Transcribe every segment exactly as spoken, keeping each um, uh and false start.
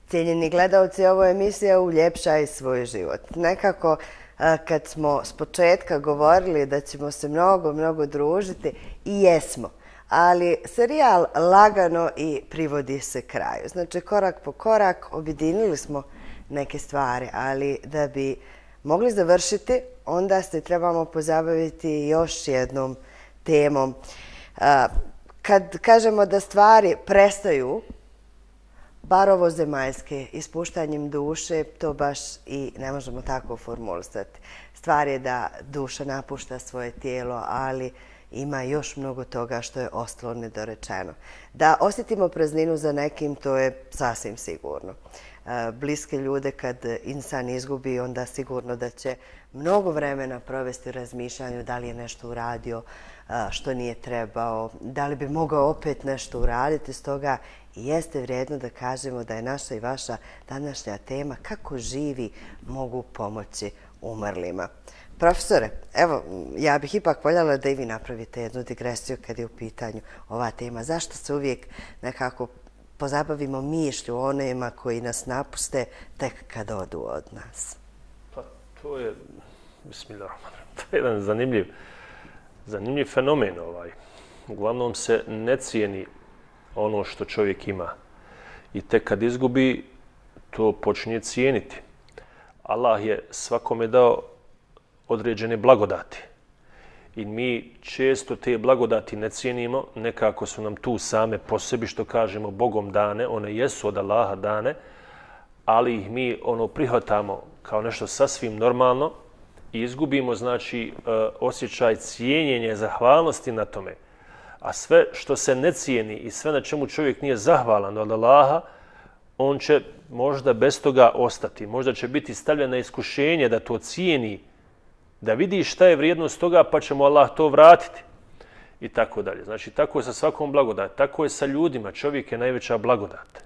Cijenjeni gledalci, ovo je emisija Uljepšaj svoj život. Nekako kad smo s početka govorili da ćemo se mnogo, mnogo družiti, i jesmo. Ali serijal lagano i privodi se kraju. Znači, korak po korak objedinili smo neke stvari, ali da bi mogli završiti, onda se trebamo pozabaviti još jednom temom. Kad kažemo da stvari prestaju, bar ovo zemaljske, ispuštanjem duše, to baš i ne možemo tako formulisati. Stvar je da duša napušta svoje tijelo, ali ima još mnogo toga što je ostalo nedorečeno. Da osjetimo prazninu za nekim, to je sasvim sigurno. Bliske ljude kad insan izgubi, onda sigurno da će mnogo vremena provesti u razmišljanju da li je nešto uradio što nije trebao, da li bi mogao opet nešto uraditi. Stoga jeste vrijedno da kažemo da je naša i vaša današnja tema kako živi mogu pomoći umrlima. Profesore, evo, ja bih ipak voljela da i vi napravite jednu digresiju kad je u pitanju ova tema. Zašto se uvijek nekako pozabavimo mišlju onima koji nas napuste tek kad odu od nas? Pa to je, bismillahirrahmanirrahim, to je jedan zanimljiv, zanimljiv fenomen. Ovaj. Uglavnom se ne cijeni ono što čovjek ima. I tek kad izgubi, to počinje cijeniti. Allah je svakome dao određene blagodati. I mi često te blagodati ne cijenimo, nekako su nam tu same po sebi, što kažemo, Bogom dane, one jesu od Allaha dane, ali ih mi ono prihvatamo kao nešto sasvim normalno i izgubimo, znači, osjećaj cijenjenja, zahvalnosti na tome. A sve što se ne cijeni i sve na čemu čovjek nije zahvalan od Allaha, on će možda bez toga ostati. Možda će biti stavljen na iskušenje da to cijeni, da vidi šta je vrijednost toga, pa će mu Allah to vratiti. I tako dalje. Znači, tako je sa svakom blagodat. Tako je sa ljudima. Čovjek je najveća blagodat.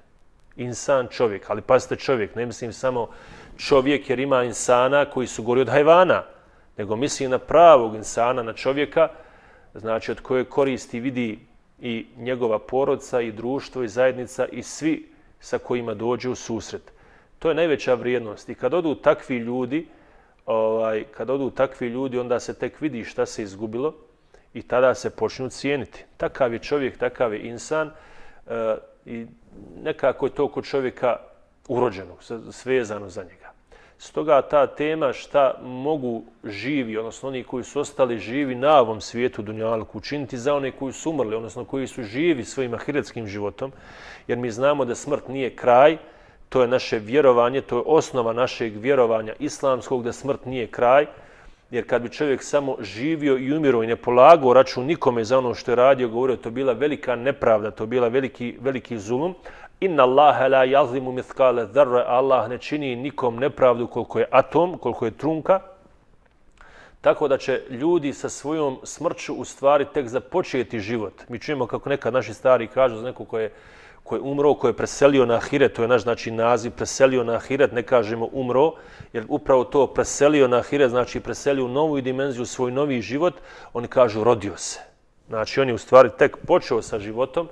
Insan, čovjek. Ali pazite, čovjek. Ne mislim samo čovjek, jer ima insana koji su gori od hajvana, nego mislim na pravog insana, na čovjeka, znači od koje koristi vidi i njegova porodica, i društvo, i zajednica, i svi sa kojima dođe u susret. To je najveća vrijednost. I kad odu takvi ljudi, ovaj, kad odu takvi ljudi, onda se tek vidi šta se izgubilo i tada se počnu cijeniti. Takav je čovjek, takav je insan e, i nekako je to kod čovjeka urođeno, svezano za njega. Stoga ta tema šta mogu živi, odnosno oni koji su ostali živi na ovom svijetu dunjalku, učiniti za one koji su umrli, odnosno koji su živi svojim ahiretskim životom, jer mi znamo da smrt nije kraj, to je naše vjerovanje, to je osnova našeg vjerovanja islamskog, da smrt nije kraj, jer kad bi čovjek samo živio i umirao i ne polagao račun nikome za ono što je radio, govorio, to bila velika nepravda, to bila veliki, veliki zulum. Inna Allaha la yazlimu mithqala dharra, Allah ne čini nikom nepravdu koliko je atom, koliko je trunka. Tako da će ljudi sa svojom smrću u stvari tek započeti život. Mi čujemo kako nekad naši stari kažu za neko ko je, ko je umro, ko je preselio na ahiret, to je naš znači naziv, preselio na ahiret, ne kažemo umro, jer upravo to preselio na ahiret znači preselio u novu dimenziju, svoj novi život, oni kažu rodio se. Znači on je u stvari tek počeo sa životom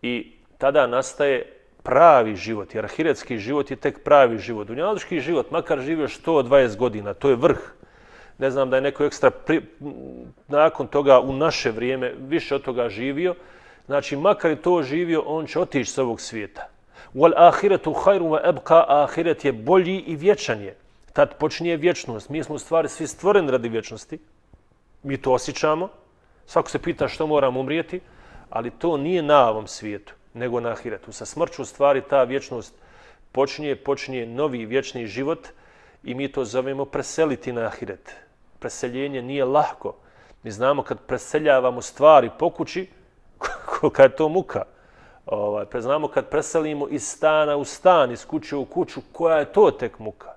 i tada nastaje pravi život, jer ahiretski život je tek pravi život. Dunjalučki život, makar živio sto dvadeset godina, to je vrh. Ne znam da je neko ekstra pri... nakon toga u naše vrijeme više od toga živio. Znači, makar je to živio, on će otići s ovog svijeta. Wal ahiretu khairu wa abqa, ahiret je bolji i vječan je. Tad počinje vječnost. Mi smo u stvari svi stvoreni radi vječnosti. Mi to osjećamo. Svako se pita što moramo umrijeti, ali to nije na ovom svijetu, nego na ahiretu. Sa smrću u stvari ta vječnost počinje, počinje novi vječni život i mi to zovemo preseliti na ahiret. Preseljenje nije lahko. Mi znamo kad preseljavamo stvari po kući, kolika je to muka. Ovaj, znamo kad preselimo iz stana u stan, iz kuće u kuću, koja je to tek muka.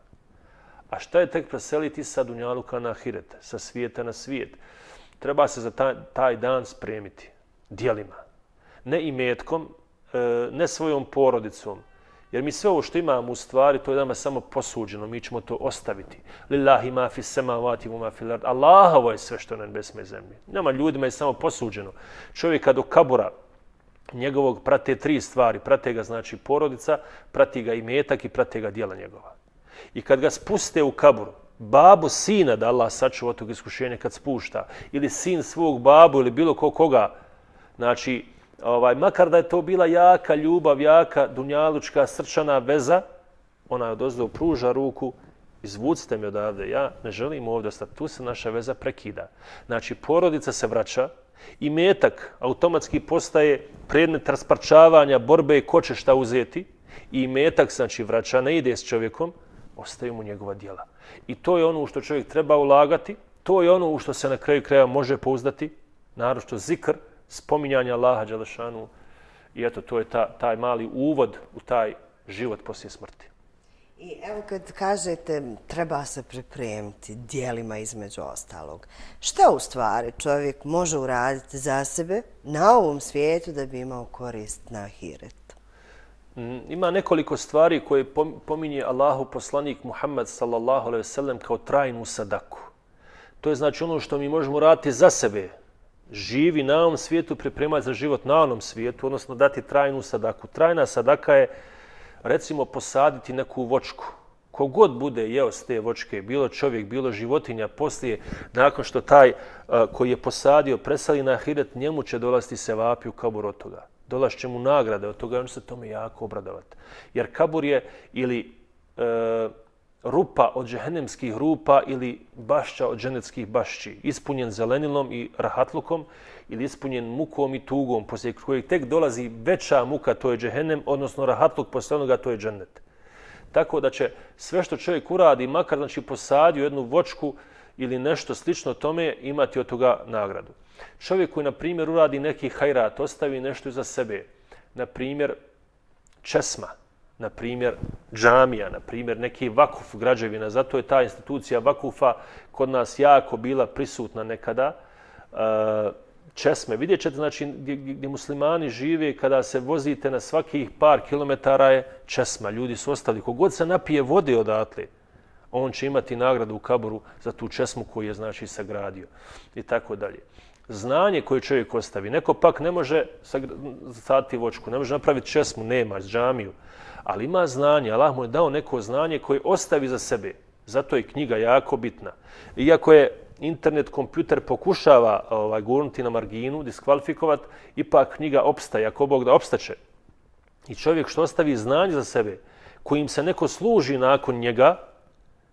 A šta je tek preseliti sa dunjaluka na ahiret, sa svijeta na svijet? Treba se za taj, taj dan spremiti djelima. Ne imetkom, ne svojom porodicom. Jer mi sve ovo što imamo u stvari, to je nama samo posuđeno, mi ćemo to ostaviti. Lillahi ma fi samavati wa ma fil ard. Allahovo je sve što na nebesme zemlji. Nama ljudima je samo posuđeno. Čovjeka do kabura njegovog prate tri stvari. Prate ga znači porodica, prati ga imetak i prate ga djela njegova. I kad ga spuste u kaburu, babu sina, da Allah sačuva od tog iskušenja kad spušta, ili sin svog babu ili bilo ko koga, znači, ovaj, makar da je to bila jaka ljubav, jaka dunjalučka srčana veza, ona je odozdo pruža ruku, izvucite me odavde, ja ne želim ovdje ostati, tu se naša veza prekida. Znači, porodica se vraća, imetak automatski postaje predmet rasparčavanja, borbe ko će šta uzeti, i imetak znači vraća, ne ide s čovjekom, ostaju mu njegova djela. I to je ono u što čovjek treba ulagati, to je ono u što se na kraju kraja može pouzdati, naročito zikr, spominjanje Allaha dželešanu, i eto, to je ta, taj mali uvod u taj život poslije smrti. I evo kad kažete treba se pripremiti djelima između ostalog, šta u stvari čovjek može uraditi za sebe na ovom svijetu da bi imao korist na ahiretu? Ima nekoliko stvari koje pominje Allahu poslanik Muhammed sallallahu alejhi ve sellem kao trajnu sadaku. To je znači ono što mi možemo raditi za sebe. Živi na ovom svijetu, pripremati za život na onom svijetu, odnosno dati trajnu sadaku. Trajna sadaka je, recimo, posaditi neku vočku. Kogod bude jeo s te vočke, bilo čovjek, bilo životinja, poslije, nakon što taj uh, koji je posadio presali na ahiret, njemu će dolaziti sevapi u kabur od toga. Dolaš će mu nagrade od toga, on će se tome jako obradovati. Jer kabur je ili uh, rupa od džehennemskih rupa ili bašća od dženetskih bašći, ispunjen zelenilom i rahatlukom ili ispunjen mukom i tugom, poslije kojeg tek dolazi veća muka, to je džehennem, odnosno rahatluk poslije onoga, to je džennet. Tako da će sve što čovjek uradi, makar znači posadio jednu vočku ili nešto slično tome, imati od toga nagradu. Čovjek koji, na primjer, uradi neki hajrat, ostavi nešto iza sebe, na primjer, česma, na primjer, džamija, na primjer, neki vakuf građevina, zato je ta institucija vakufa kod nas jako bila prisutna nekada, česme. Vidjet ćete, znači, gdje, gdje muslimani žive, kada se vozite na svakih par kilometara je česma. Ljudi su ostali. Kogod se napije vode odatle, on će imati nagradu u kaburu za tu česmu koju je, znači, sagradio. I tako dalje. Znanje koje čovjek ostavi. Neko pak ne može saditi vočku, ne može napraviti česmu, nema, džamiju. Ali ima znanje. Allah mu je dao neko znanje koje ostavi za sebe. Zato je knjiga jako bitna. Iako je internet, kompjuter pokušava ovaj, gurnuti na marginu, diskvalifikovat, ipak knjiga opstaje, ako Bog da opstaće. I čovjek što ostavi znanje za sebe, kojim se neko služi nakon njega,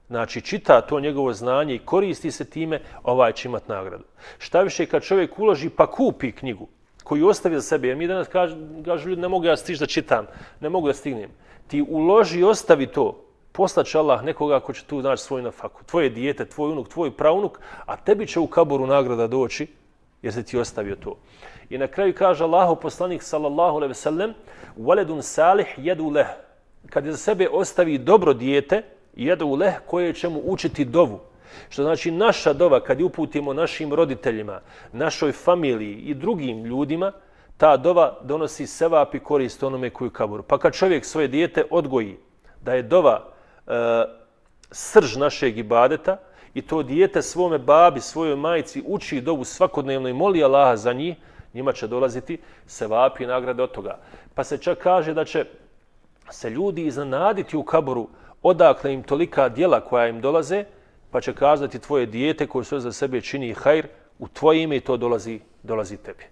znači čita to njegovo znanje i koristi se time, ovaj će imati nagradu. Šta više, kad čovjek uloži pa kupi knjigu koju ostavi za sebe, jer mi danas kažu, kažu ljudi, ne mogu ja stići da čitam, ne mogu da stignem. Ti uloži i ostavi to. Poslaće Allah nekoga ko će tu naći svoj nafaku. Tvoje dijete, tvoj unuk, tvoj praunuk, a tebi će u kaburu nagrada doći jer se ti ostavio to. I na kraju kaže Allahu poslanik sallallahu alejhi ve sellem: "Waladun salih yadu leh." Kad za sebe ostavi dobro dijete, yadu leh, koje će mu učiti dovu. Što znači naša dova kad je uputimo našim roditeljima, našoj familiji i drugim ljudima, ta dova donosi sevap i korist onome koji u kaburu. Pa kad čovjek svoje dijete odgoji da je dova e, srž našeg ibadeta i to dijete svome babi, svojoj majici uči dovu svakodnevno i moli Allaha za njih, njima će dolaziti sevapi i nagrade od toga. Pa se čak kaže da će se ljudi iznenaditi u kaburu odakle im tolika djela koja im dolaze, pa će kazati tvoje dijete koje sve za sebe čini hajr, u tvoje ime i to dolazi, dolazi tebi.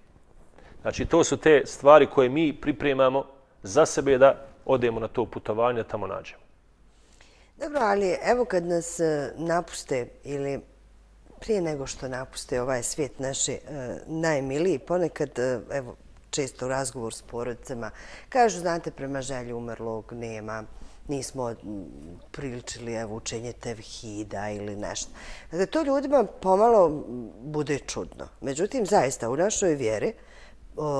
Znači, to su te stvari koje mi pripremamo za sebe da odemo na to putovanje, da tamo nađemo. Dobro, ali evo kad nas napuste ili prije nego što napuste ovaj svijet naši e, najmiliji, ponekad, e, evo, često u razgovor s porodicama, kažu, znate, prema želji umrlog nema, nismo priličili evo, učenje tevhida ili nešto. Dakle, to ljudima pomalo bude čudno. Međutim, zaista, u našoj vjeri,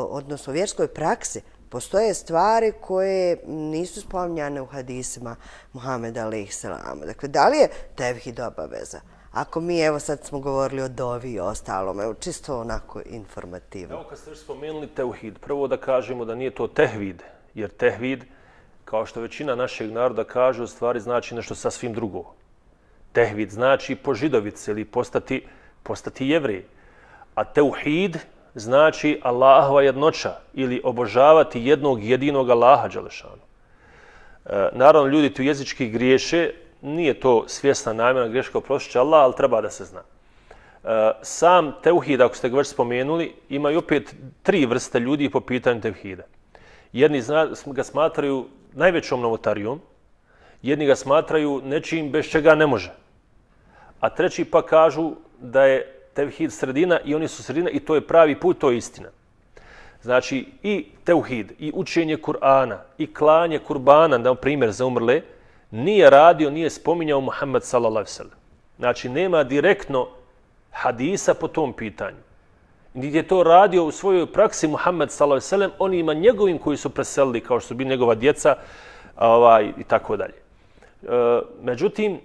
odnosno u vjerskoj praksi, postoje stvari koje nisu spominjane u hadisima Muhameda alejhi selam. Dakle, da li je tevhid obaveza? Ako mi, evo sad smo govorili o dovi i ostalom, evo čisto onako informativno. Evo kad ste još spomenuli tevhid, prvo da kažemo da nije to tehvid, jer tehvid, kao što većina našeg naroda kaže, u stvari znači nešto sasvim drugo. Tehvid znači po židovici ili postati, postati jevrij. A teuhid znači Allahova jednoća ili obožavati jednog jedinog Allaha dželešanu. E, naravno, ljudi tu jezički griješe, nije to svjesna namjerna greška, oprostit će Allah, ali treba da se zna. E, sam teuhid, ako ste ga već spomenuli, ima i opet tri vrste ljudi po pitanju teuhida. Jedni zna, ga smatraju najvećom novotarijom, jedni ga smatraju nečim bez čega ne može. A treći pa kažu da je tevhid sredina i oni su sredina i to je pravi put, to je istina. Znači i tevhid, i učenje Kur'ana, i klanje kurbana, na primjer za umrle, nije radio, nije spominjao Muhammed sallallahu alejhi ve sellem. Znači nema direktno hadisa po tom pitanju. Niti je to radio u svojoj praksi Muhammed sallallahu alejhi ve sellem onima njegovim koji su preselili, kao što su bili njegova djeca, ovaj, i tako dalje. E, međutim,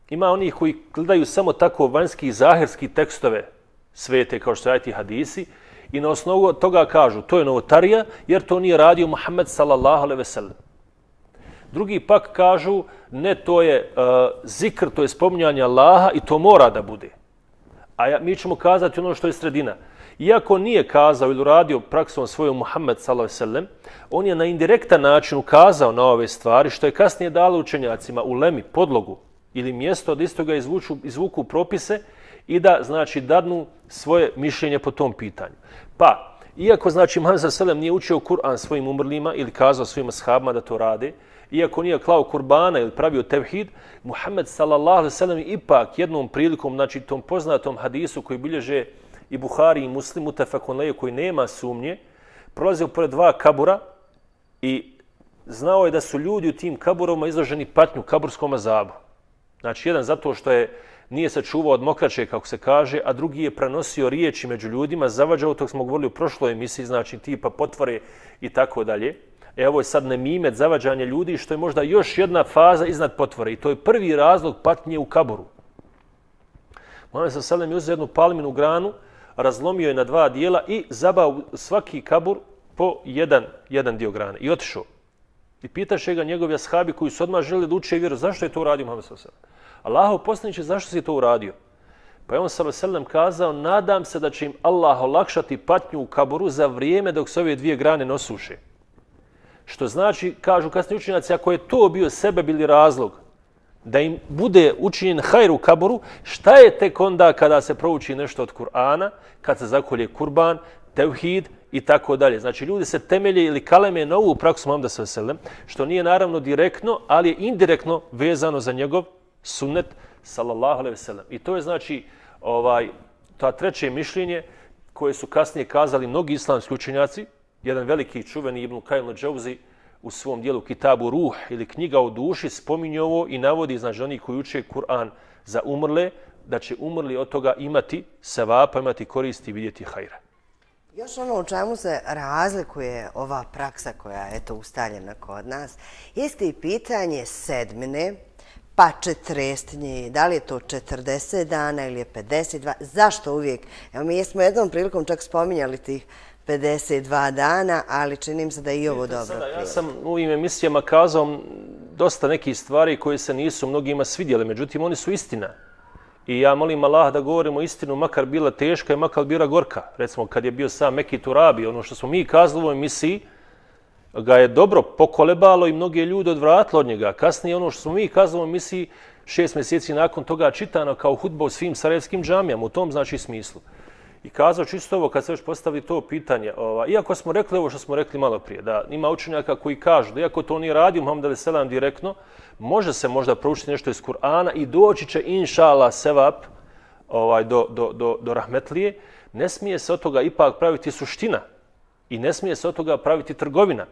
ima onih koji gledaju samo tako vanjski i zahirski tekstove svete, kao što ajeti hadisi, i na osnovu toga kažu to je novotarija jer to nije radio Muhammed sallallahu alejhi ve sellem. Drugi pak kažu ne, to je uh, zikr, to je spominjanje Allaha i to mora da bude. A ja, mi ćemo kazati ono što je sredina. Iako nije kazao ili uradio praksom svojom Muhammed sallallahu alejhi ve sellem, on je na indirektan način ukazao na ove stvari, što je kasnije dalo učenjacima u lemi podlogu ili mjesto da isto ga izvuču, izvuku propise i da, znači, dadnu svoje mišljenje po tom pitanju. Pa, iako, znači, Muhammed sallallahu alejhi ve sellem nije učio Kur'an svojim umrlima ili kazao svojim ashabima da to rade, iako nije klao kurbana ili pravio tevhid, Muhammed sallallahu alejhi ve sellem ipak jednom prilikom, znači tom poznatom hadisu koji bilježe i Buhari i Muslim, mutafakun alejhi, koji nema sumnje, prolazio pored dva kabura i znao je da su ljudi u tim kaburovima izloženi patnju, kaburskom azabu. Znači, jedan zato što je nije se čuvao od mokraće, kako se kaže, a drugi je prenosio riječi među ljudima, zavađao, to smo govorili u prošloj emisiji, znači tipa potvore i tako dalje. E, ovo je sad nemimet, zavađanje ljudi, što je možda još jedna faza iznad potvore. I to je prvi razlog patnje u kaburu. Muhammed sallallahu alejhi ve sellem je uzeo jednu palminu granu, razlomio je na dva dijela i zabao svaki kabur po jedan, jedan dio grane. I otišao. I pitaše ga njegovi ashabi koji su odmah želeli da uče vjeru, zašto je to uradio Muhammed sallallahu alejhi ve sellem? Allahov poslaniče, zašto si to uradio? Pa je on sallallahu alejhi ve sellem kazao, nadam se da će im Allah olakšati patnju u kaburu za vrijeme dok se ove dvije grane nosuše. Što znači, kažu kasni učenjaci, ako je to bio sebeb ili razlog da im bude učinjen hajr u kaburu, šta je tek onda kada se prouči nešto od Kur'ana, kad se zakolje kurban, tevhid i tako dalje. Znači, ljudi se temelje ili kaleme na ovu praksu Muhameda sallallahu alejhi ve sellem, što nije naravno direktno, ali je indirektno vezano za njegov sunnet sallallahu alejhi ve sellem. I to je, znači, ovaj, ta treće mišljenje koje su kasnije kazali mnogi islamski učenjaci. Jedan veliki čuveni Ibn Kajim al-Džauzi u svom dijelu Kitabu Ruh ili knjiga o duši spominje ovo i navodi, znači, oni koji uče Kur'an za umrle, da će umrli od toga imati sevapa, imati koristi i vidjeti hajra. Još ono u čemu se razlikuje ova praksa koja je eto ustaljena kod nas, jeste i pitanje sedmine, pa četrestnje, da li je to četrdeset dana ili je pedeset dva, zašto uvijek? Evo, mi smo jednom prilikom čak spominjali tih pedeset dva dana, ali čini mi se da je i ovo dobro sada, prilike. Ja sam u ovim emisijama kazao dosta nekih stvari koje se nisu mnogima svidjeli, međutim oni su istina. I ja molim Allah da govorimo istinu, makar bila teška i makar bila gorka. Recimo, kad je bio sam Meki Turabi, ono što smo mi kazali u ovoj emisiji, ga je dobro pokolebalo i mnoge ljude odvratilo od njega. Kasnije ono što smo mi kazali u ovoj emisiji, šest mjeseci nakon toga čitano kao hudba u svim sarajevskim džamijama, u tom znači smislu. I kazao čisto ovo, kad se već postavili to pitanje, ova, iako smo rekli ovo što smo rekli malo prije, da ima učenjaka koji kažu da iako to nije radio Muhammed alejhi ve sellem direktno, može se možda proučiti nešto iz Kur'ana i doći će inša Allah sevap ovaj, do, do, do, do rahmetlije, ne smije se od toga ipak praviti suština i ne smije se od toga praviti trgovina.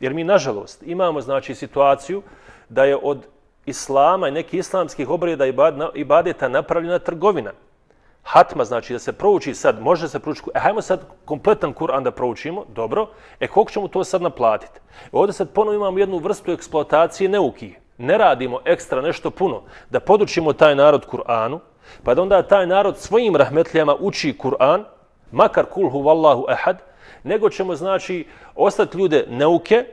Jer mi, nažalost, imamo, znači, situaciju da je od islama i nekih islamskih obreda i ibadeta napravljena trgovina. Hatma, znači da se prouči sad, može se proučiti, e, hajmo sad kompletan Kur'an da proučimo, dobro, e koliko ćemo to sad naplatiti? Ovdje sad ponovno imamo jednu vrstu eksploatacije neuki. Ne radimo ekstra nešto puno da podučimo taj narod Kur'anu, pa da onda taj narod svojim rahmetlijama uči Kur'an, makar kul huvallahu ehad, nego ćemo, znači, ostati ljude neuke,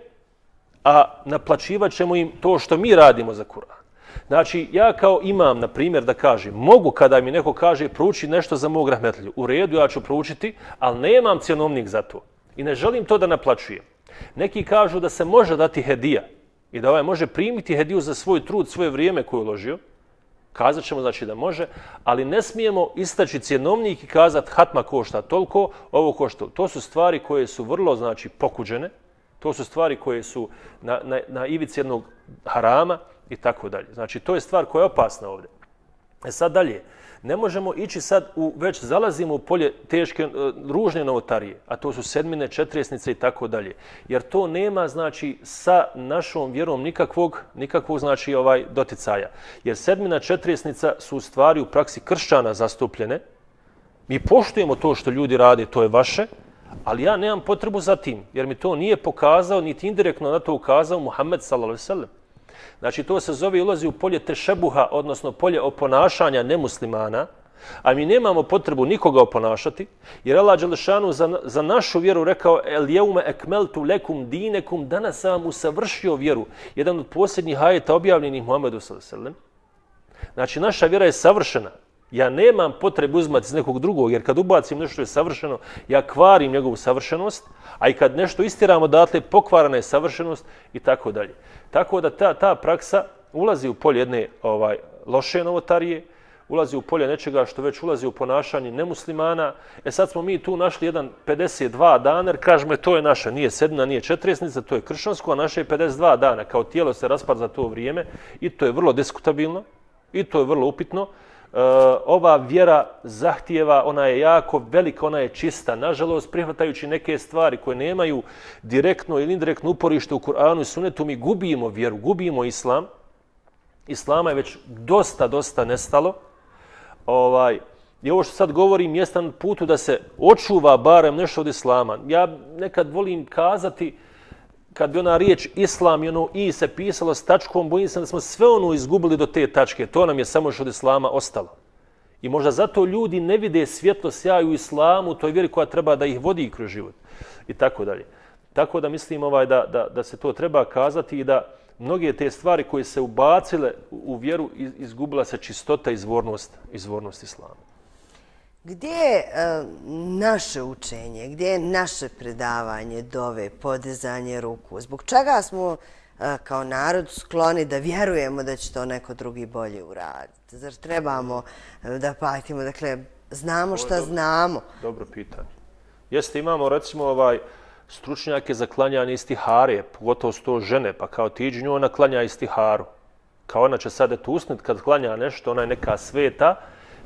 a naplaćivat ćemo im to što mi radimo za Kur'an. Znači, ja kao imam, na primjer, da kažem, mogu kada mi neko kaže prouči nešto za mog rahmetliju. U redu, ja ću proučiti, ali nemam cjenovnik za to. I ne želim to da naplaćujem. Neki kažu da se može dati hedija i da ovaj može primiti hediju za svoj trud, svoje vrijeme koje je uložio. Kazat ćemo znači da može, ali ne smijemo istaći cjenovnik i kazati hatma košta toliko, ovo košta. To su stvari koje su vrlo znači pokuđene, to su stvari koje su na, na, na ivici jednog harama i tako dalje. Znači to je stvar koja je opasna ovdje. E sad dalje, ne možemo ići sad, u, već zalazimo u polje teške, ružne novotarije, a to su sedmine, četirijesnice i tako dalje. Jer to nema, znači, sa našom vjerom nikakvog, nikakvog znači, ovaj, doticaja. Jer sedmina, četirijesnica su u stvari u praksi kršćana zastupljene. Mi poštujemo to što ljudi rade, to je vaše, ali ja nemam potrebu za tim, jer mi to nije pokazao, niti indirektno na to ukazao Muhammed sallallahu alejhi ve sellem. Znači, to se zove ulazi u polje tešebuha, odnosno polje oponašanja nemuslimana, a mi nemamo potrebu nikoga oponašati, jer Allah dželešanu za, za našu vjeru rekao el jeume ekmeltu lekum dinekum, danas sam vam usavršio vjeru. Jedan od posljednjih ajeta objavljenih Muhammedu sallallahu alejhi ve sellem. Znači, naša vjera je savršena. Ja nemam potrebu uzmati iz nekog drugog, jer kad ubacim nešto što je savršeno, ja kvarim njegovu savršenost, a i kad nešto istiramo odatle, pokvarana je savršenost i tako dalje. Tako da ta, ta praksa ulazi u polje jedne ovaj, loše novotarije, ulazi u polje nečega što već ulazi u ponašanje nemuslimana. E sad smo mi tu našli jedan pedeset dva dana, jer kažemo to je naša, nije sedmina, nije četirijesnica, to je kršćansko, a naše je pedeset dva dana. Kao tijelo se raspada za to vrijeme i to je vrlo diskutabilno i to je vrlo upitno. Uh, ova vjera zahtijeva, ona je jako velika, ona je čista. Nažalost, prihvatajući neke stvari koje nemaju direktno ili indirektno uporište u Kur'anu i Sunnetu, mi gubimo vjeru, gubimo islam. Islama je već dosta, dosta nestalo. Ovaj, I ovo što sad govorim jeste na putu da se očuva barem nešto od islama. Ja nekad volim kazati, kad bi ona riječ islam i ono i se pisalo s tačkom, bojim se da smo sve ono izgubili do te tačke. To nam je samo što od islama ostalo. I možda zato ljudi ne vide svjetlo sjaju u islamu, toj vjeri koja treba da ih vodi kroz život. I tako dalje. Tako da mislim ovaj, da, da, da se to treba kazati i da mnoge te stvari koje se ubacile u vjeru izgubila se čistota i izvornost, izvornost islama. Gdje je uh, naše učenje, gdje je naše predavanje, dove, podizanje ruku? Zbog čega smo uh, kao narod skloni da vjerujemo da će to neko drugi bolje uraditi? Zar trebamo uh, da patimo? Dakle, znamo šta dobro, znamo. Dobro pitanje. Jeste, imamo recimo ovaj stručnjake za klanjanje istihare, pogotovo su to žene, pa kao ti iđi nju, ona klanja istiharu. Kao ona će sad eto usniti kad klanja nešto, ona je neka sveta,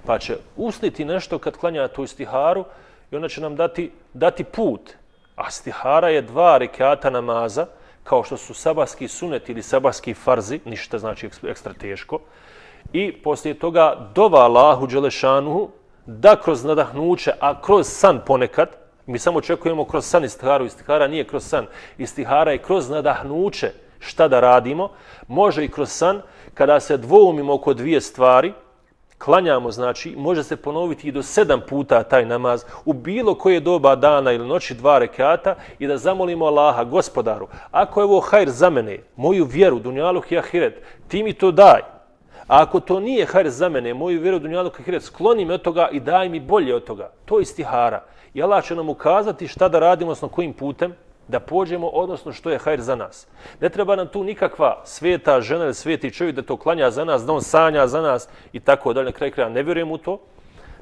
pa će usniti nešto kad klanja tu istiharu i ona će nam dati, dati put. A istihara je dva rekata namaza, kao što su sabahski sunet ili sabahski farzi, ništa znači ekstra teško. I poslije toga dova Allahu dželešanuhu da kroz nadahnuće, a kroz san ponekad, mi samo očekujemo kroz san istiharu, istihara nije kroz san, istihara je kroz nadahnuće šta da radimo, može i kroz san, kada se dvoumimo oko dvije stvari, klanjamo, znači, može se ponoviti i do sedam puta taj namaz u bilo koje doba dana ili noći dva rekata i da zamolimo Allaha, gospodaru, ako je ovo hajr za mene, moju vjeru, dunjaluk i ahiret, ti mi to daj. A ako to nije hajr za mene, moju vjeru, dunjaluk i ahiret, skloni me od toga i daj mi bolje od toga. To je istihara. I Allah će nam ukazati šta da radimo, odnosno kojim putem da pođemo, odnosno što je hajr za nas. Ne treba nam tu nikakva sveta žena ili sveti čovjek da to klanja za nas, da on sanja za nas i tako dalje. Na kraju kraja ne vjerujem u to,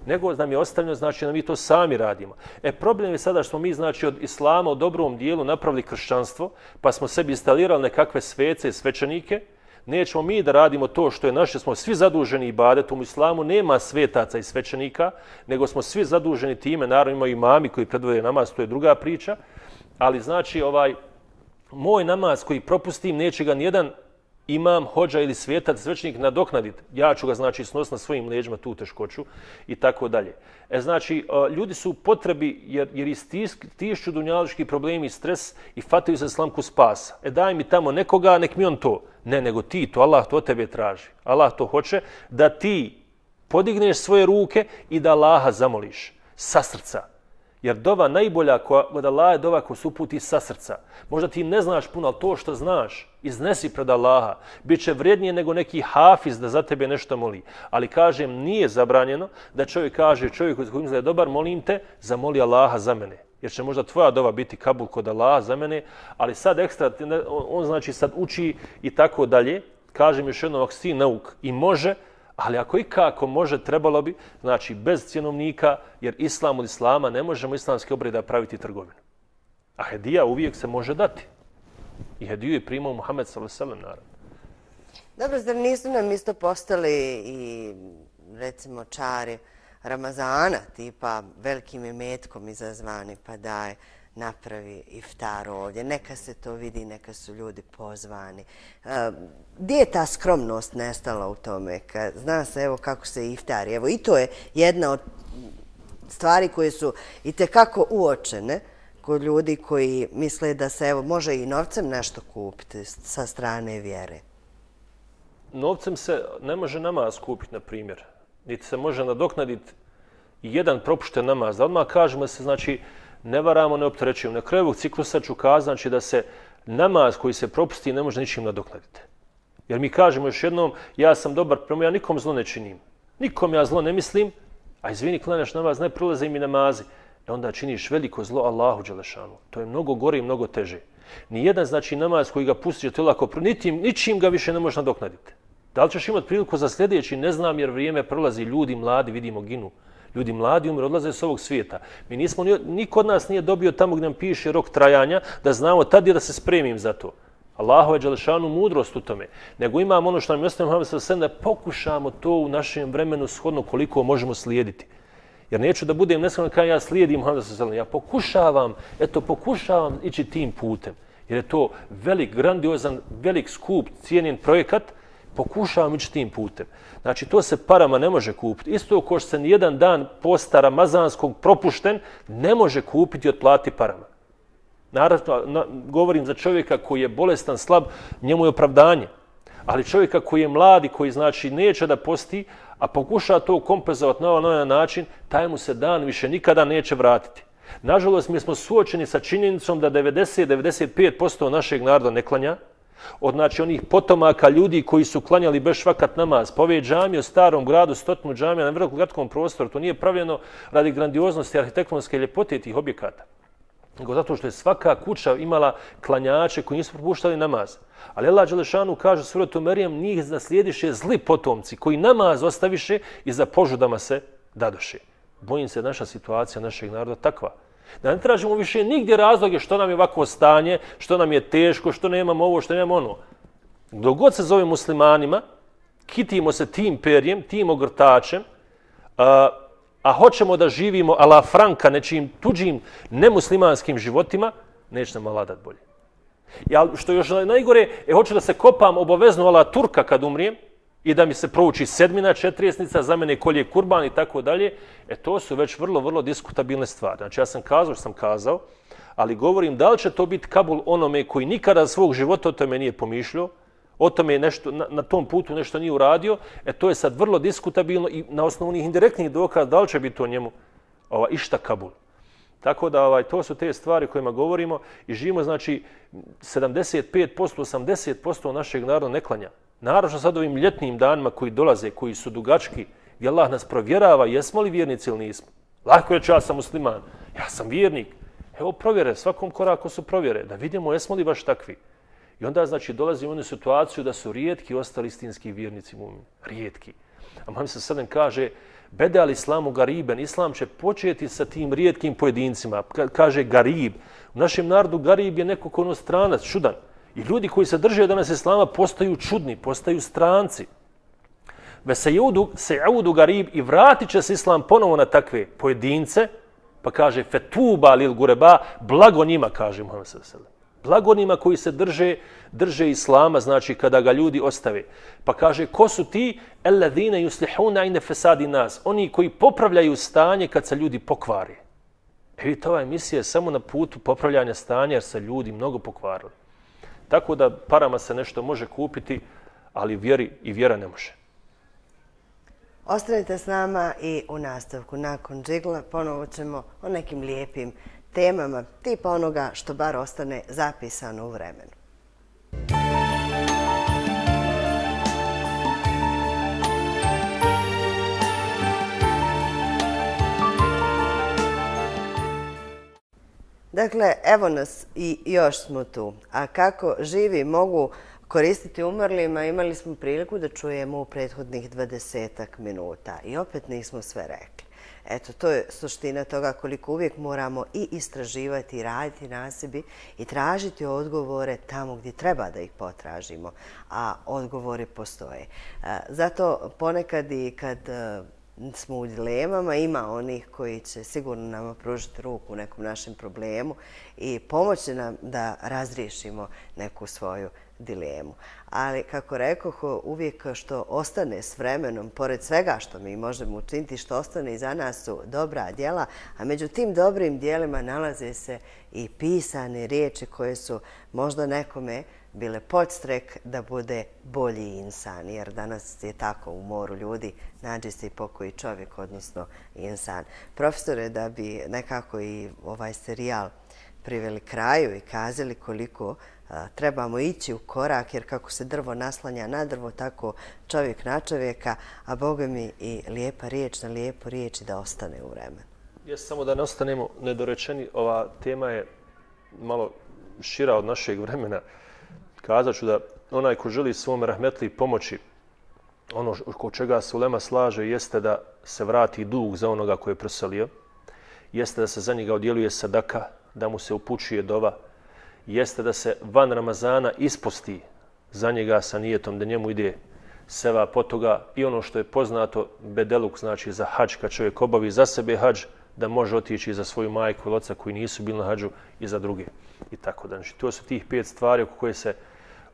nego nam je ostavljeno, znači da mi to sami radimo. E, problem je sada što smo mi, znači, od islama u dobrom dijelu napravili kršćanstvo, pa smo sebi instalirali nekakve svece i svećenike. Nećemo mi da radimo to što je naše, smo svi zaduženi ibadetom. U islamu nema svetaca i svećenika, nego smo svi zaduženi time, naravno imaju imami koji predvode namaz, to je druga priča. Ali znači ovaj moj namaz koji propustim neće ga nijedan imam, hođa ili svetac, svećenik nadoknaditi. Ja ću ga znači snositi na svojim leđima tu teškoću i tako dalje. E znači ljudi su u potrebi jer, jer istišću dunjalički problemi i stres i fataju se slamku spasa. E daj mi tamo nekoga, nek mi on to. Ne, nego ti to, Allah to tebe traži. Allah to hoće da ti podigneš svoje ruke i da Allaha zamoliš sa srca. Jer dova najbolja kod Allaha je dova ko se uputi sa srca. Možda ti ne znaš puno, ali to što znaš, iznesi pred Allaha. Biće vrijednije nego neki hafiz da za tebe nešto moli. Ali kažem, nije zabranjeno da čovjek kaže, čovjek koji misli da je dobar, molim te, zamoli Allaha za mene. Jer će možda tvoja dova biti kabul kod Allaha za mene, ali sad ekstra, on znači sad uči i tako dalje. Kažem još jednom, ako si nauk i može, ali ako i kako može, trebalo bi, znači bez cjenovnika, jer islam od islama ne možemo islamski obreda praviti trgovinu. A hedija uvijek se može dati. I hediju je primao Muhammed sallallahu alejhi ve sellem, naravno. Dobro, zar nisu nam isto postali i recimo čari Ramazana, tipa velikim imetkom izazvani, pa daj, napravi iftar ovdje, neka se to vidi, neka su ljudi pozvani. Gdje je ta skromnost nestala u tome? Zna se evo kako se iftari. Evo i to je jedna od stvari koje su i tekako uočene kod ljudi koji misle da se evo može i novcem nešto kupiti sa strane vjere. Novcem se ne može namaz kupiti, na primjer. Niti se može nadoknaditi jedan propušten namaz. Da odmah kažemo se, znači, ne varamo, ne opterećujemo. Na kraju ovog ciklusa ću kazati znači, da se namaz koji se propusti ne može ničim nadoknaditi. Jer mi kažemo još jednom, ja sam dobar prema, ja nikom zlo ne činim. Nikom ja zlo ne mislim, a izvini, klanjaš namaz, ne prolaze mi namazi. E onda činiš veliko zlo Allahu dželešanu. To je mnogo gore i mnogo teže. Nijedan znači namaz koji ga pustiš, to je lako, ničim, ničim ga više ne možeš nadoknaditi. Da li ćeš imati priliku za sljedeći, ne znam, jer vrijeme prolazi, ljudi mladi, vidimo, ginu. Ljudi mladi umre, odlaze s ovog svijeta. Mi nismo, niko od nas nije dobio tamo gdje nam piše rok trajanja, da znamo tad je da se spremim za to. Allahu je dželešanu mudrost u tome. Nego imamo ono što nam je ostavio Muhammed sallallahu alejhi ve sellem, da pokušamo to u našem vremenu shodno koliko možemo slijediti. Jer neću da budem neskroman kada ja slijedim Muhammed sallallahu alejhi ve sellem. Ja pokušavam, eto pokušavam ići tim putem. Jer je to velik, grandiozan, velik skup, cijenjen projekat, pokušavam ići tim putem. Znači, to se parama ne može kupiti. Isto ko što se nijedan dan posta ramazanskog propušten, ne može kupiti i otplati parama. Naravno, na, govorim za čovjeka koji je bolestan, slab, njemu je opravdanje. Ali čovjeka koji je mladi, koji znači neće da posti, a pokuša to kompenzovati na ovaj način, taj mu se dan više nikada neće vratiti. Nažalost, mi smo suočeni sa činjenicom da devedeset do devedeset pet posto našeg naroda ne klanja, od znači onih potomaka ljudi koji su klanjali bez švakat namaz. Pa ove džamije u starom gradu, stotinu džamija na vrlo kratkom prostoru, to nije pravljeno radi grandioznosti arhitektonske ljepote tih objekata. Nego zato što je svaka kuća imala klanjače koji nisu propuštali namaz. Ali Allah dželešanu kaže suratu Merijem, njih naslijediše zli potomci koji namaz ostaviše i za požudama se dadoše. Bojim se naša situacija našeg naroda takva. Da ne tražimo više nigdje razloge što nam je ovako stanje, što nam je teško, što nemamo ovo, što nemamo ono. Dok god se zove muslimanima, kitimo se tim perjem, tim ogrtačem, a, a hoćemo da živimo a la franka nečim tuđim nemuslimanskim životima, neće nam Allah dati bolje. Ja, što još najgore, e, hoću da se kopam obavezno ala Turka kad umrijem, i da mi se prouči sedmina, četirijesnica, za mene kolje kurban i tako dalje, e to su već vrlo, vrlo diskutabilne stvari. Znači ja sam kazao što sam kazao, ali govorim da li će to biti kabul onome koji nikada svog života o tome nije pomišljao, o tome nešto, na, na tom putu nešto nije uradio, e to je sad vrlo diskutabilno i na osnovu onih indirektnih dokaza da li će biti to njemu ova, išta kabul. Tako da ovaj, to su te stvari kojima govorimo i živimo, znači sedamdeset pet posto, osamdeset posto našeg naroda ne klanja. Naravno sad ovim ljetnim danima koji dolaze, koji su dugački, gdje Allah nas provjerava jesmo li vjernici ili nismo. Lako reći ja sam musliman, ja sam vjernik. Evo provjere, svakom koraku su provjere, da vidimo jesmo li baš takvi. I onda znači dolazi u onu situaciju da su rijetki ostali istinski vjernici mu'mini. Rijetki. A Muhammed sallallahu alejhi ve sellem kaže, bede al islamu gariben, islam će početi sa tim rijetkim pojedincima. Kaže garib. U našem narodu garib je neko ko ono stranac, čudan. I ljudi koji se drže danas islama postaju čudni, postaju stranci. Ve se jaudu garib i vratit će se islam ponovo na takve pojedince, pa kaže fetuba lil gureba, blago njima, kaže Muhammed sallallahu alejhi ve sellem. Blago njima koji se drže, drže islama, znači kada ga ljudi ostave. Pa kaže, ko su ti? Alladhina yuslihuna inda fasadi nas. Oni koji popravljaju stanje kad se ljudi pokvari. E vidite, ova emisija je samo na putu popravljanja stanja jer se ljudi mnogo pokvarili. Tako da parama se nešto može kupiti, ali vjeri i vjera ne može. Ostanite s nama i u nastavku nakon džigla ponovo ćemo o nekim lijepim temama, tipa onoga što bar ostane zapisano u vremenu. Dakle, evo nas i još smo tu. A kako živi mogu koristiti umrlima, imali smo priliku da čujemo u prethodnih dvadesetak minuta i opet nismo sve rekli. Eto, to je suština toga koliko uvijek moramo i istraživati i raditi na sebi i tražiti odgovore tamo gdje treba da ih potražimo, a odgovori postoje. Zato ponekad i kad smo u dilemama, ima onih koji će sigurno nama pružiti ruku u nekom našem problemu i pomoći nam da razriješimo neku svoju dilemu. Ali, kako rekoh, uvijek što ostane s vremenom, pored svega što mi možemo učiniti, što ostane iza nas su dobra djela, a među tim dobrim djelima nalaze se i pisane riječi koje su možda nekome bile podstrek da bude bolji insan, jer danas je tako u moru ljudi, nađe se i pokoji čovjek, odnosno insan. Profesore, da bi nekako i ovaj serijal priveli kraju i kazali koliko trebamo ići u korak, jer kako se drvo naslanja na drvo, tako čovjek na čovjeka, a Boga mi i lijepa riječ na lijepu riječ da ostane u vremenu. Jes, samo da ne ostanemo nedorečeni, ova tema je malo šira od našeg vremena. Kazat ću da onaj ko želi svom rahmetli pomoći, ono ko čega se ulema slaže jeste da se vrati dug za onoga koji je preselio, jeste da se za njega odjeluje sadaka, da mu se upućuje dova, jeste da se van Ramazana isposti za njega sa nijetom da njemu ide seva po toga i ono što je poznato bedeluk, znači za hadž, kad čovjek obavi za sebe hadž, da može otići za svoju majku ili oca koji nisu bili na hadžu i za druge. I tako da. Znači, to su tih pet stvari oko koje se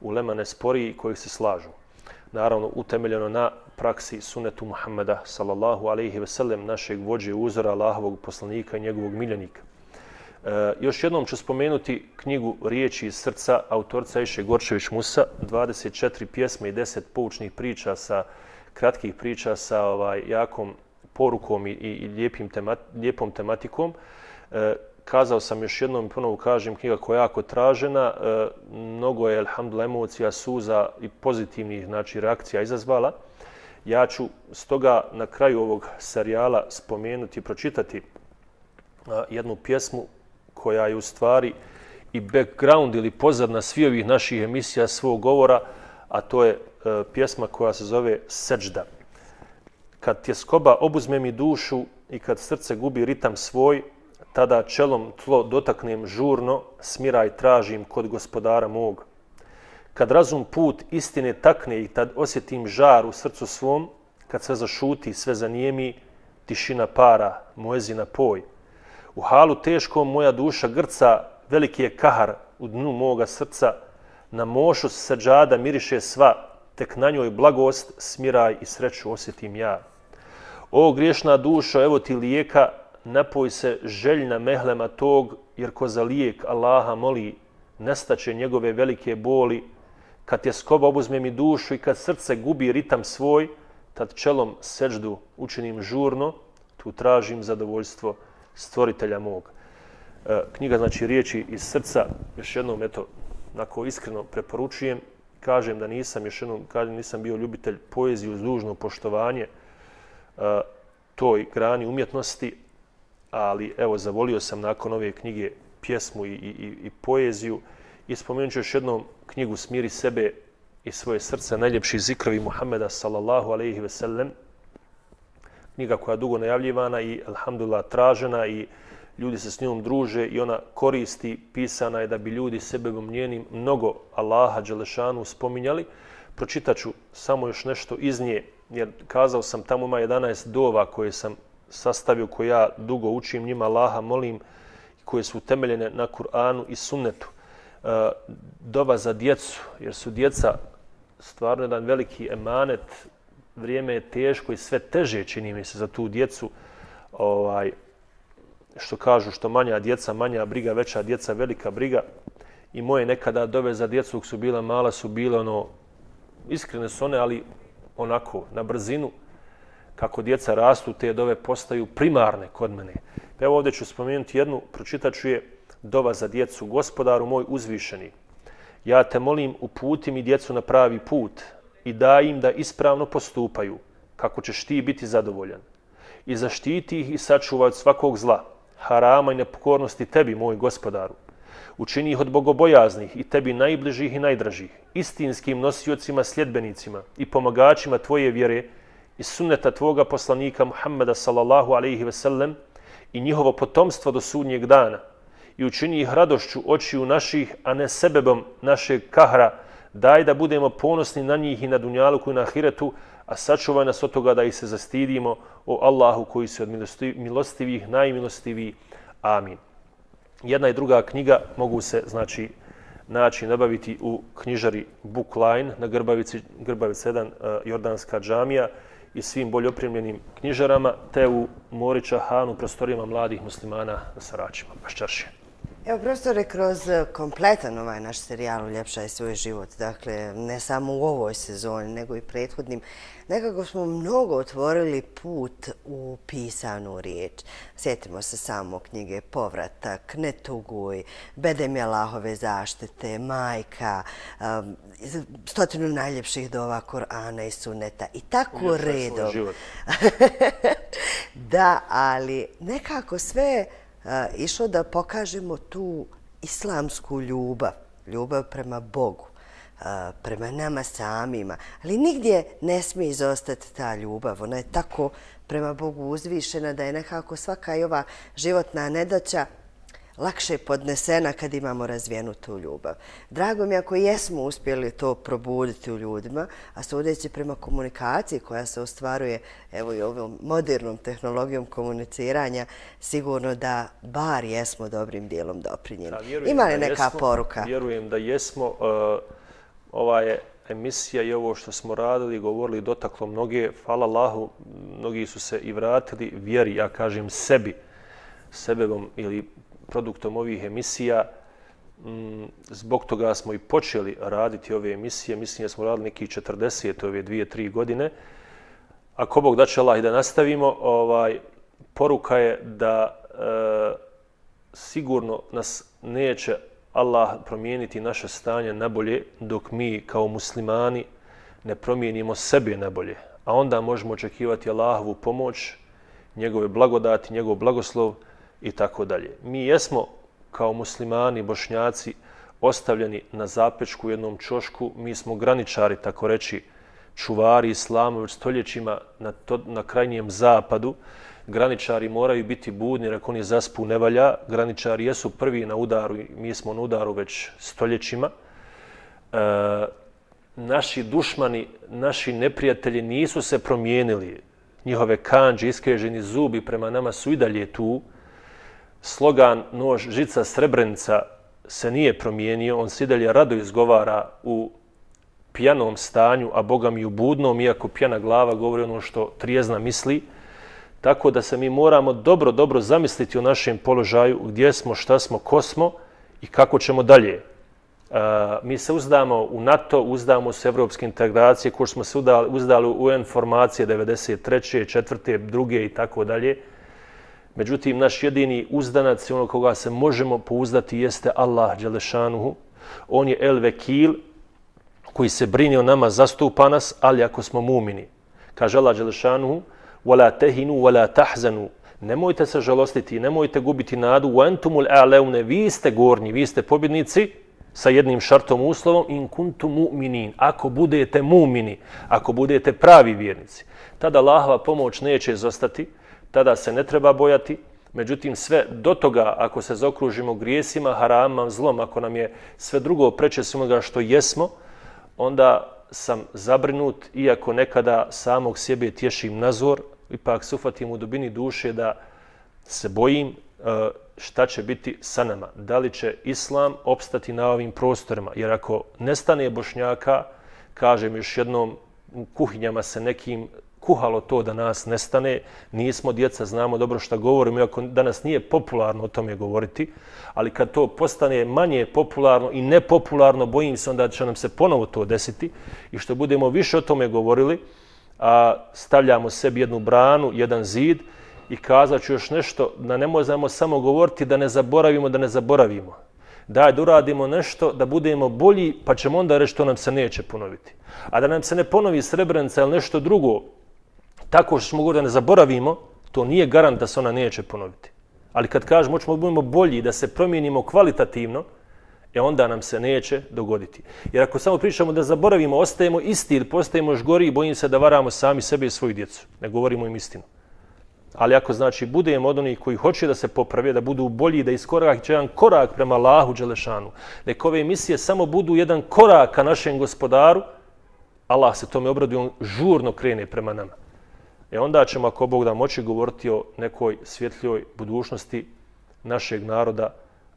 ulema ne spori i kojih se slažu. Naravno, utemeljeno na praksi sunetu Muhammeda, sallallahu alaihi ve sellem, našeg vođe uzora, Allahovog poslanika i njegovog miljenika. E, još jednom ću spomenuti knjigu Riječi iz srca autorca Ajše Gorčević Musa, dvadeset četiri pjesme i deset poučnih priča sa kratkih priča sa ovaj jakom porukom i, i lijepim temat, lijepom tematikom. E, kazao sam još jednom i ponovo kažem, knjiga koja je jako tražena, e, mnogo je, alhamdulillah, emocija, suza i pozitivnih, znači, reakcija izazvala. Ja ću stoga na kraju ovog serijala spomenuti i pročitati a, jednu pjesmu koja je u stvari i background ili pozadna svih ovih naših emisija, svog govora, a to je e, pjesma koja se zove Seđda. Kad tjeskoba obuzme mi dušu i kad srce gubi ritam svoj, tada čelom tlo dotaknem žurno, smiraj tražim kod gospodara mog. Kad razum put istine takne i tad osjetim žar u srcu svom, kad sve zašuti, sve zanijemi, tišina para, moezina poj. U halu teškom moja duša grca, veliki je kahar u dnu moga srca, na mošu seđada miriše sva, tek na njoj blagost, smiraj i sreću osjetim ja. O griješna dušo, evo ti lijeka, napoj se željna mehlema tog, jer ko za lijek Allaha moli, nestaće njegove velike boli. Kad tjeskoba obuzme mi dušu i kad srce gubi ritam svoj, tad čelom seđdu učinim žurno, tu tražim zadovoljstvo stvoritelja mog. E, knjiga, znači, Riječi iz srca, još jednom, eto, onako iskreno preporučujem. Kažem da nisam, još jednom, kažem, nisam bio ljubitelj poezije uz dužno poštovanje e, toj grani umjetnosti, ali evo, zavolio sam nakon ove knjige pjesmu i, i, i poeziju i spomenut ću još jednom knjigu Smiri sebe i svoje srce, najljepši zikrovi Muhammeda, sallallahu alaihi ve sellem. Knjiga koja je dugo najavljivana i, alhamdulillah, tražena i ljudi se s njom druže i ona koristi, pisana je da bi ljudi sebebom njenim mnogo Allaha Đelešanu spominjali. Pročitat ću samo još nešto iz nje, jer kazao sam, tamo ima jedanaest dova koje sam sastavio, koje ja dugo učim, njima Allaha molim, koje su utemeljene na Kur'anu i sunnetu. E, dova za djecu, jer su djeca stvarno jedan veliki emanet, vrijeme je teško i sve teže, čini mi se, za tu djecu. Ovaj, što kažu, što manja djeca, manja briga, veća djeca, velika briga. I moje nekada dove za djecu, dok su bila mala, su bile ono, iskrene su one, ali onako, na brzinu. kako djeca rastu, te dove postaju primarne kod mene. Evo ovdje ću spomenuti jednu, pročitat ću je, dova za djecu. Gospodaru moj uzvišeni, ja te molim, uputi mi djecu na pravi put i daj im da ispravno postupaju, kako ćeš ti biti zadovoljan. I zaštiti ih i sačuvaj od svakog zla, harama i nepokornosti tebi, moj gospodaru. Učini ih od bogobojaznih i tebi najbližih i najdražih, istinskim nosiocima, sljedbenicima i pomagačima tvoje vjere i sunneta tvoga poslanika Muhammeda sallallahu alaihi ve sellem i njihovo potomstvo do sudnjeg dana. I učini ih radošću očiju naših, a ne sebebom našeg kahra. Daj da budemo ponosni na njih i na dunjaluku i na ahiretu, a sačuvaj nas od toga da ih se zastidimo, o Allahu koji se od milostivih najmilostiviji. Amin. Jedna i druga knjiga mogu se, znači, naći nabaviti u knjižari Bookline na Grbavici, Grbavica jedan, Jordanska džamija i svim bolje opremljenim knjižarama, te u Morića Hanu, prostorijama mladih muslimana na Saračima, Baščaršije. Evo, profesore, kroz kompletan ovaj naš serijal Uljepšaj svoj život, dakle, ne samo u ovoj sezoni, nego i prethodnim, nekako smo mnogo otvorili put u pisanu riječ. Sjetimo se samo knjige Povratak, Ne tuguj, Bedem je Allahove zaštite, Majka, um, stotinu najljepših dova Korana i Suneta i tako redom. Da, ali nekako sve Uh, išlo da pokažemo tu islamsku ljubav, ljubav prema Bogu, uh, prema nama samima, ali nigdje ne smije izostati ta ljubav. Ona je tako prema Bogu uzvišena da je nekako svaka i ova životna nedaća lakše podnesena kad imamo razvijenu tu ljubav. Drago mi ako jesmo uspjeli to probuditi u ljudima, a sudeći prema komunikaciji koja se ostvaruje evo i ovom modernom tehnologijom komuniciranja, sigurno da bar jesmo dobrim dijelom doprinjeni. Ima li neka jesmo, poruka? Vjerujem da jesmo. Uh, ova je emisija i ovo što smo radili, govorili, dotaklo mnoge. Hvala Allahu, mnogi su se i vratili vjeri, ja kažem sebi, sebebom ili produktom ovih emisija. Zbog toga smo i počeli raditi ove emisije. Mislim da smo radili neki četrdeset ove dvije, tri godine. Ako Bog da će Allah i da nastavimo, ovaj, poruka je da e, sigurno nas neće Allah promijeniti naše stanje na bolje dok mi kao muslimani ne promijenimo sebe na bolje. A onda možemo očekivati Allahovu pomoć, njegove blagodati, njegov blagoslov i tako dalje. Mi jesmo kao muslimani, bošnjaci, ostavljeni na zapečku u jednom čošku. Mi smo graničari, tako reći, čuvari islama već stoljećima na, to, na krajnjem zapadu. Graničari moraju biti budni, jer ako oni zaspu ne valja. Graničari jesu prvi na udaru i mi smo na udaru već stoljećima. E, naši dušmani, naši neprijatelji nisu se promijenili. Njihove kandže, iskreženi zubi prema nama su i dalje tu. Slogan nož, žica, srebrenica se nije promijenio, on se i dalje rado izgovara u pijanom stanju, a Boga mi u budnom, iako pijana glava govori ono što trijezna misli. Tako da se mi moramo dobro, dobro zamisliti o našem položaju, gdje smo, šta smo, ko smo i kako ćemo dalje. E, mi se uzdamo u NATO, uzdamo se u evropske integracije, ko smo se uzdali, uzdali u U N formacije devedeset treće, četvrte, druge i tako dalje. Međutim, naš jedini uzdanac i ono koga se možemo pouzdati jeste Allah dželešanuhu. On je el vekil koji se brine o nama, zastupa nas, ali ako smo mumini. Kaže Allah dželešanuhu: وَلَا تَهِنُوا وَلَا تَحْزَنُوا. Nemojte se žalostiti, nemojte gubiti nadu. وَأَنْتُمُ الْأَعْلَوْنَ. Vi ste gornji, vi ste pobjednici sa jednim šartom uslovom: in kuntum mu'minin. Ako budete mumini, ako budete pravi vjernici, tada Allahova pomoć neće izostati. Tada se ne treba bojati. Međutim, sve do toga, ako se zaokružimo grijesima, haramama, zlom, ako nam je sve drugo preče svega što jesmo, onda sam zabrinut, iako nekada samog sebe tješim nazor, ipak se ufatim u dubini duše da se bojim šta će biti sa nama. Da li će Islam opstati na ovim prostorima? Jer ako nestane Bošnjaka, kažem još jednom, u kuhinjama se nekim kuhalo to da nas nestane, nismo djeca, znamo dobro šta govorimo, iako danas nije popularno o tome govoriti, ali kad to postane manje popularno i nepopularno, bojim se onda će nam se ponovo to desiti i što budemo više o tome govorili, a stavljamo sebi jednu branu, jedan zid i kazat ću još nešto, da ne možemo samo govoriti da ne zaboravimo, da ne zaboravimo. Daj da uradimo nešto, da budemo bolji, pa ćemo onda reći što nam se neće ponoviti. A da nam se ne ponovi Srebrenica ili nešto drugo, tako što smo govorili da ne zaboravimo, to nije garant da se ona neće ponoviti. Ali kad kažemo hoćemo da budemo bolji, da se promijenimo kvalitativno, e onda nam se neće dogoditi. Jer ako samo pričamo da zaboravimo, ostajemo isti ili postajemo još gori, bojim se da varamo sami sebe i svoju djecu. Ne govorimo im istinu. Ali ako znači budemo od onih koji hoće da se poprave, da budu bolji, da iskorak jedan korak prema Allahu Đelešanu, neka ove emisije samo budu jedan korak ka našem gospodaru, Allah se tome obraduje, on žurno krene prema nama. E onda ćemo, ako Bog da, moći govoriti o nekoj svjetljoj budućnosti našeg naroda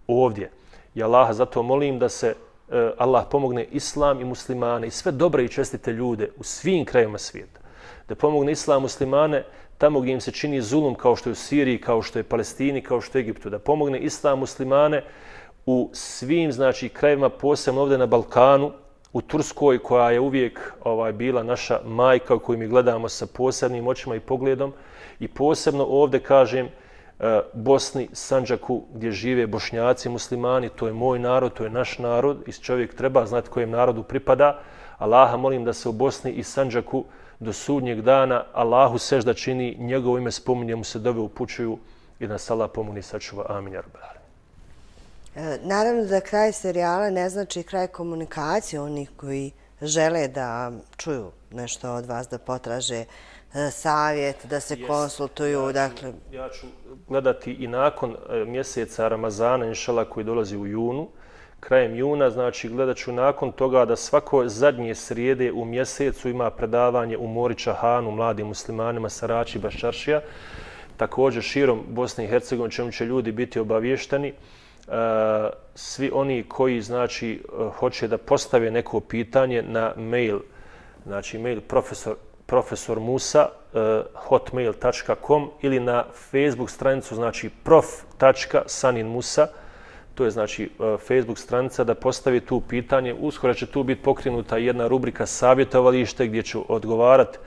ovdje. I Allaha zato molim da se e, Allah pomogne islam i muslimane i sve dobre i čestite ljude u svim krajevima svijeta. Da pomogne islam i muslimane tamo gdje im se čini zulum, kao što je u Siriji, kao što je Palestini, kao što je Egiptu. Da pomogne islam i muslimane u svim znači, krajevima, posebno ovdje na Balkanu, u Turskoj, koja je uvijek ovaj, bila naša majka koju mi gledamo sa posebnim očima i pogledom, i posebno ovdje, kažem, Bosni, Sandžaku, gdje žive Bošnjaci, muslimani, to je moj narod, to je naš narod i čovjek treba znati kojem narodu pripada. Allaha molim da se u Bosni i Sandžaku do sudnjeg dana Allahu sežda čini, njegovo ime spominje, mu se dove upućuju i da nas Allah pomogni i sačuva. Amin, ja rabbal alemin. Naravno da kraj serijala ne znači kraj komunikacije onih koji žele da čuju nešto od vas, da potraže savjet, da se yes. konsultuju. Ja ću, dakle... ja ću gledati i nakon mjeseca Ramazana, inšala, koji dolazi u junu, krajem juna, znači gledat ću nakon toga da svako zadnje srijede u mjesecu ima predavanje u Morića Hanu, mladim muslimanima, Sarači, Baščaršija. Također širom Bosne i Hercegovine, čemu će ljudi biti obavješteni. Svi oni koji znači hoće da postave neko pitanje na mail, znači mail profesor profesor Musa hotmail tačka com ili na Facebook stranicu znači prof tačka sanin musa, to je znači Facebook stranica, da postavi tu pitanje. Uskoro će tu biti pokrenuta jedna rubrika savjetovalište gdje ću odgovarati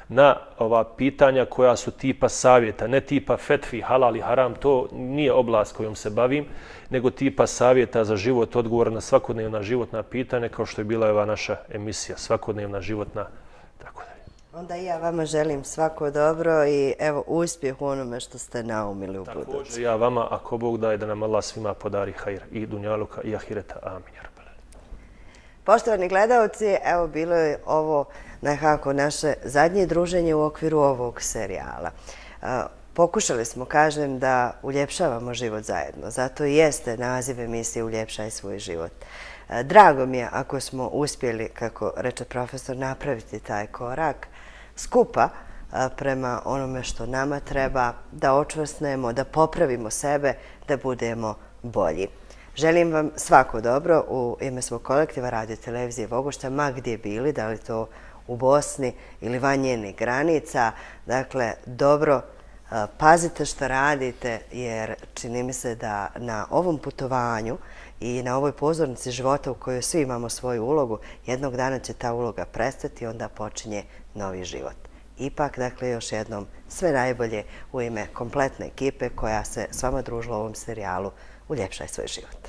na ova pitanja koja su tipa savjeta, ne tipa fetvi, halal i haram, to nije oblast kojom se bavim, nego tipa savjeta za život, odgovor na svakodnevna životna pitanja, kao što je bila ova naša emisija, svakodnevna životna, tako da. Onda i ja vama želim svako dobro i evo uspjeh u onome što ste naumili u budućnosti. Također ja vama, ako Bog daje, da nam Allah svima podari hajr i dunjaluka i ahireta. Amin. Poštovani gledalci, evo bilo je ovo nekako naše zadnje druženje u okviru ovog serijala. Pokušali smo, kažem, da uljepšavamo život zajedno. Zato i jeste naziv emisije Uljepšaj svoj život. Drago mi je ako smo uspjeli, kako reče profesor, napraviti taj korak skupa prema onome što nama treba, da očvrsnemo, da popravimo sebe, da budemo bolji. Želim vam svako dobro u ime svog kolektiva Radio Televizije Vogošća, ma gdje bili, da li to u Bosni ili van njenih granica. Dakle, dobro, pazite što radite, jer čini mi se da na ovom putovanju i na ovoj pozornici života u kojoj svi imamo svoju ulogu, jednog dana će ta uloga prestati i onda počinje novi život. Ipak, dakle, još jednom sve najbolje u ime kompletne ekipe koja se s vama družila u ovom serijalu Uljepšaj svoj život.